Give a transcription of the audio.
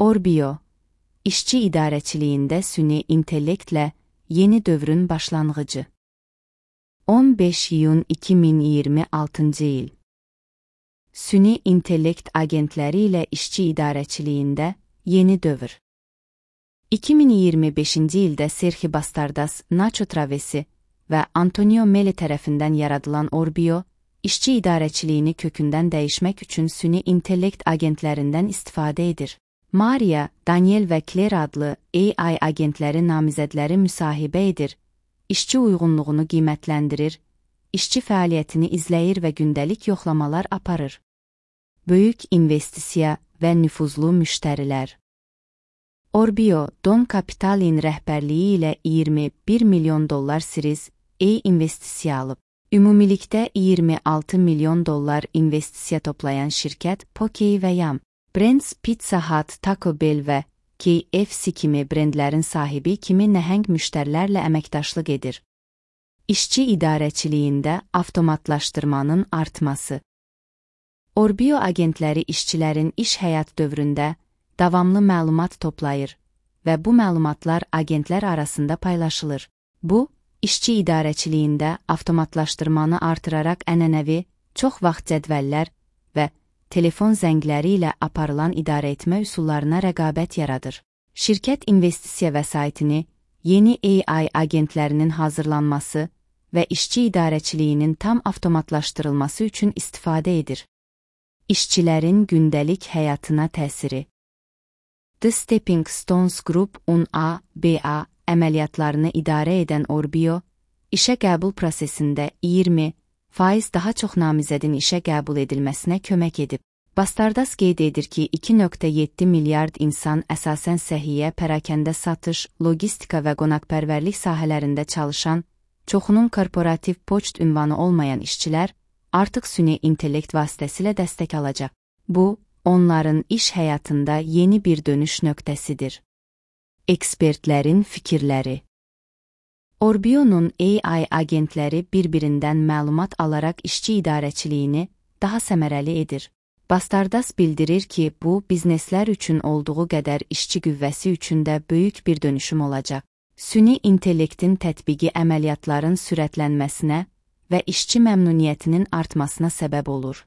Orbio, işçi idarəçiliyində süni intellektlə yeni dövrün başlanğıcı. 15 iyun 2026 il. Süni intellekt agentləri ilə işçi idarəçiliyində yeni dövr. 2025 ildə Sergio Bastardas, Nacho Travesi və Antonio Meli tərəfindən yaradılan Orbio, işçi idarəçiliyini kökündən dəyişmək üçün süni intellekt agentlərindən istifadə edir. Maria, Daniel və Claire adlı AI agentləri namizədləri müsahibə edir, işçi uyğunluğunu qiymətləndirir, işçi fəaliyyətini izləyir və gündəlik yoxlamalar aparır. Böyük investisiya və nüfuzlu müştərilər. Orbio, Don Capital'in rəhbərliyi ilə $21 milyon Series A investisiya alıb. Ümumilikdə $26 milyon investisiya toplayan şirkət Poke və Yum, Brands, Pizza Hut, Taco Bell və KFC kimi brendlərin sahibi kimi nəhəng müştərilərlə əməkdaşlıq edir. İşçi idarəçiliyində avtomatlaşdırmanın artması. Orbio agentləri işçilərin iş həyat dövründə davamlı məlumat toplayır və bu məlumatlar agentlər arasında paylaşılır. Bu, işçi idarəçiliyində avtomatlaşdırmanı artıraraq ənənəvi, çox vaxt cədvəllər və telefon zəngləri ilə aparılan idarəetmə üsullarına rəqabət yaradır. Şirkət investisiya vəsaitini yeni AI agentlərinin hazırlanması və işçi idarəçiliyinin tam avtomatlaşdırılması üçün istifadə edir. İşçilərin gündəlik həyatına təsiri. The Stepping Stones Group UN-A, BA əməliyyatlarını idarə edən Orbio, işə qəbul prosesində 20% daha çox namizədin işə qəbul edilməsinə kömək edib. Bastardas qeyd edir ki, 2,7 milyard insan əsasən səhiyyə, pərakəndə satış, logistika və qonaqpərvərlik sahələrində çalışan, çoxunun korporativ poçt ünvanı olmayan işçilər artıq süni intellekt vasitəsilə dəstək alacaq. Bu, onların iş həyatında yeni bir dönüş nöqtəsidir. Ekspertlərin fikirləri. Orbio'nun AI agentləri bir-birindən məlumat alaraq işçi idarəçiliyini daha səmərəli edir. Bastardas bildirir ki, bu, bizneslər üçün olduğu qədər işçi qüvvəsi üçün də böyük bir dönüşüm olacaq. Süni intellektin tətbiqi əməliyyatların sürətlənməsinə və işçi məmnuniyyətinin artmasına səbəb olur.